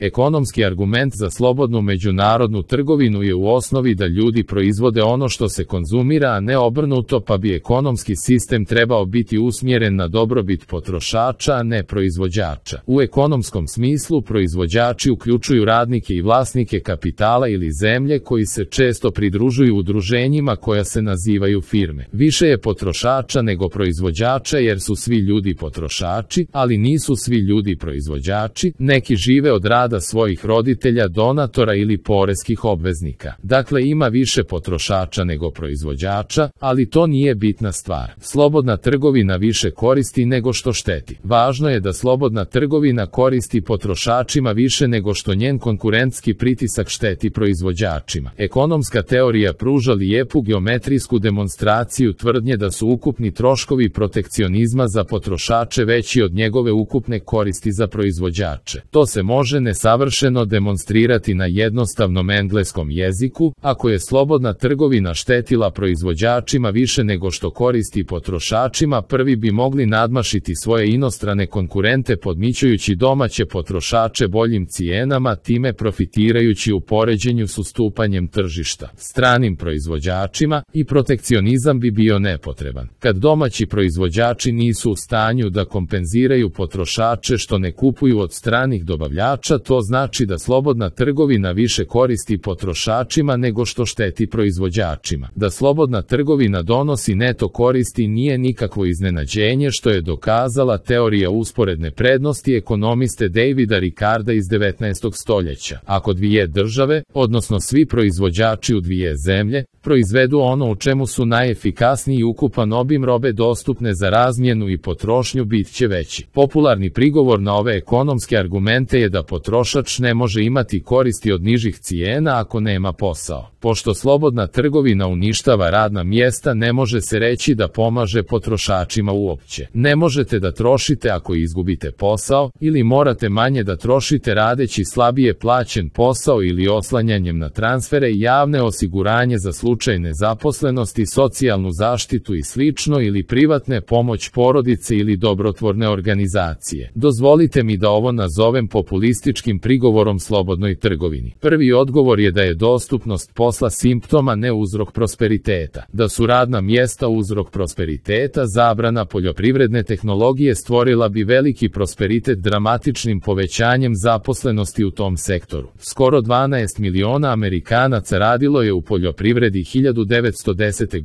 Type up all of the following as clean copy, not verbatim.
Ekonomski argument za slobodnu međunarodnu trgovinu je u osnovi da ljudi proizvode ono što se konzumira, a ne obrnuto, pa bi ekonomski sistem trebao biti usmjeren na dobrobit potrošača, a ne proizvođača. U ekonomskom smislu proizvođači uključuju radnike i vlasnike kapitala ili zemlje koji se često pridružuju udruženjima koja se nazivaju firme. Više je potrošača nego proizvođača jer su svi ljudi potrošači, ali nisu svi ljudi proizvođači, neki žive od rada svojih roditelja, donatora ili poreskih obveznika. Dakle, ima više potrošača nego proizvođača, ali to nije bitna stvar. Slobodna trgovina više koristi nego što šteti. Važno je da slobodna trgovina koristi potrošačima više nego što njen konkurentski pritisak šteti proizvođačima. Ekonomska teorija pruža lijepu geometrijsku demonstraciju tvrdnje da su ukupni troškovi protekcionizma za potrošače veći od njegove ukupne koristi za proizvođače. To se može nesavršeno demonstrirati na jednostavnom engleskom jeziku. Ako je slobodna trgovina štetila proizvođačima više nego što koristi potrošačima, prvi bi mogli nadmašiti svoje inostrane konkurente podmićujući domaće potrošače boljim cijenama, time profitirajući u poređenju s ustupanjem tržišta stranim proizvođačima, i protekcionizam bi bio nepotreban. Kad domaći proizvođači nisu u stanju da kompenziraju potrošače što ne kupuju od stranih dobavljača, to znači da slobodna trgovina više koristi potrošačima nego što šteti proizvođačima. Da slobodna trgovina donosi neto koristi nije nikakvo iznenađenje, što je dokazala teorija usporedne prednosti ekonomiste Davida Ricarda iz 19. stoljeća. Ako dvije države, odnosno svi proizvođači u dvije zemlje, proizvedu ono u čemu su najefikasniji, ukupan obim robe dostupne za razmjenu i potrošnju bit će veći. Popularni prigovor na ove ekonomske argumente je da potrošač ne može imati koristi od nižih cijena ako nema posao. Pošto slobodna trgovina uništava radna mjesta, ne može se reći da pomaže potrošačima uopće. Ne možete da trošite ako izgubite posao, ili morate manje da trošite radeći slabije plaćen posao ili oslanjanjem na transfere i javne osiguranje za slučaj nezaposlenosti, socijalnu zaštitu i slično, ili privatne pomoć porodice ili dobrotvorne organizacije. Dozvolite mi da ovo nazovem populističkim prigovorom slobodnoj trgovini. Prvi odgovor je da je dostupnost posla simptoma, ne uzrok prosperiteta. Da su radna mjesta uzrok prosperiteta, zabrana poljoprivredne tehnologije stvorila bi veliki prosperitet dramatičnim povećanjem zaposlenosti u tom sektoru. Skoro 12 miliona Amerikanaca radilo je u poljoprivredi 1910.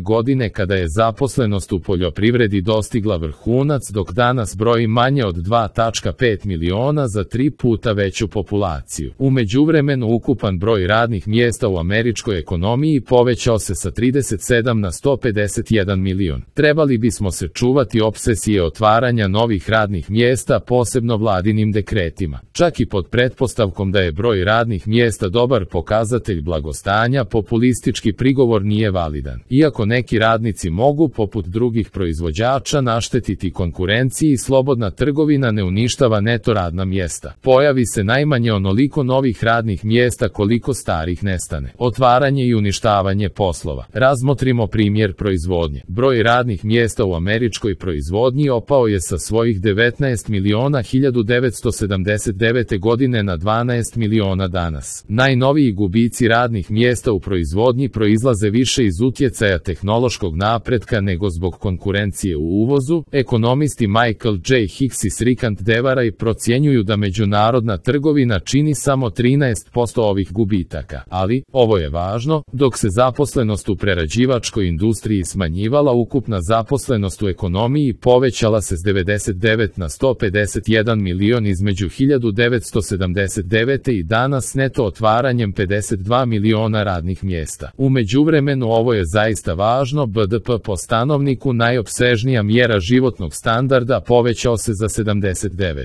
godine kada je zaposlenost u poljoprivredi dostigla vrhunac, dok danas broji manje od 2,5 miliona za 3 puta veću populaciju. U međuvremenu ukupan broj radnih mjesta u američkoj ekonomiji povećao se sa 37 na 151 milion. Trebali bismo se čuvati opsesije otvaranja novih radnih mjesta, posebno vladinim dekretima. Čak i pod pretpostavkom da je broj radnih mjesta dobar pokazatelj blagostanja, populistički prigovor nije validan. Iako neki radnici mogu, poput drugih proizvođača, naštetiti konkurenciji, slobodna trgovina ne uništava neto radna mjesta. Pojavi se najmanje onoliko novih radnih mjesta koliko starih nestane. Otvaranje i uništavanje poslova. Razmotrimo primjer proizvodnje. Broj radnih mjesta u američkoj proizvodnji opao je sa svojih 19 miliona 1979. godine na 12 miliona danas. Najnoviji gubici radnih mjesta u proizvodnji proizlaze više iz utjecaja tehnološkog napretka nego zbog konkurencije u uvozu. Ekonomisti Michael J. Hicks i Srikant Devarai procjenjuju da međunarodna trgovina čini samo 13% ovih gubitaka. Ali, ovo je važno, dok se zaposlenost u prerađivačkoj industriji smanjivala, ukupna zaposlenost u ekonomiji povećala se s 99 na 151 milion između 1979. i danas, neto otvaranjem 52 miliona radnih mjesta. U međuvremenu ovo je zaista važno, BDP po stanovniku, najopsežnija mjera životnog standarda, povećao se za 79%.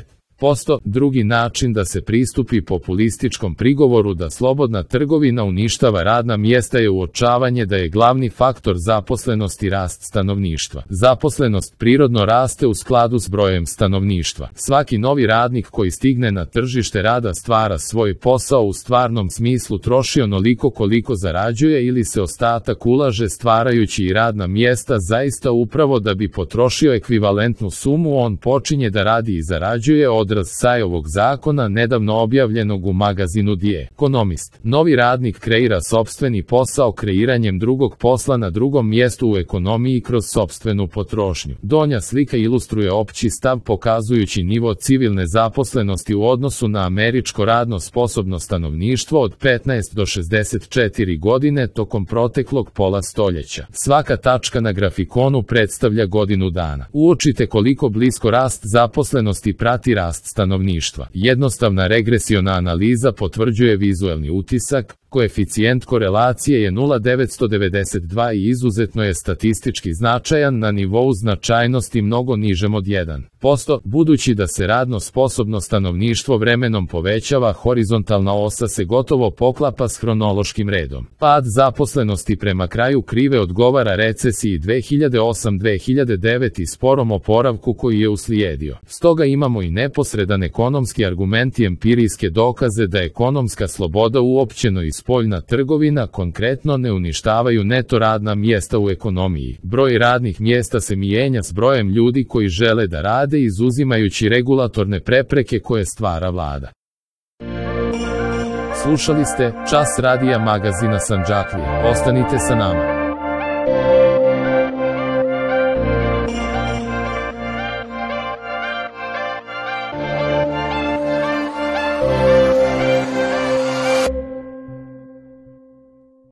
Drugi način da se pristupi populističkom prigovoru da slobodna trgovina uništava radna mjesta je uočavanje da je glavni faktor zaposlenosti rast stanovništva. Zaposlenost prirodno raste u skladu s brojem stanovništva. Svaki novi radnik koji stigne na tržište rada stvara svoj posao u stvarnom smislu, troši onoliko koliko zarađuje ili se ostatak ulaže stvarajući i radna mjesta zaista upravo da bi potrošio ekvivalentnu sumu. On počinje da radi i zarađuje, odraz Sajovog zakona nedavno objavljenog u magazinu The Economist. Novi radnik kreira sopstveni posao kreiranjem drugog posla na drugom mjestu u ekonomiji kroz sopstvenu potrošnju. Donja slika ilustruje opći stav pokazujući nivo civilne zaposlenosti u odnosu na američko radno sposobno stanovništvo od 15 do 64 godine tokom proteklog pola stoljeća. Svaka tačka na grafikonu predstavlja godinu dana. Uočite koliko blisko rast zaposlenosti prati rast stanovništva. Jednostavna regresiona analiza potvrđuje vizuelni utisak, koeficijent korelacije je 0,992 i izuzetno je statistički značajan na nivou značajnosti mnogo nižem od 1%, budući da se radno sposobno stanovništvo vremenom povećava, horizontalna osa se gotovo poklapa s hronološkim redom. Pad zaposlenosti prema kraju krive odgovara recesiji 2008-2009 i sporom oporavku koji je uslijedio. Stoga imamo i neposredan ekonomski argument i empirijske dokaze da ekonomska sloboda uopćeno i spoljna trgovina konkretno ne uništavaju neto radna mjesta u ekonomiji. Broj radnih mjesta se mijenja s brojem ljudi koji žele da rade, izuzimajući regulatorne prepreke koje stvara vlada. Slušali ste Čas radija magazina Sandžaklija. Ostanite sa nama.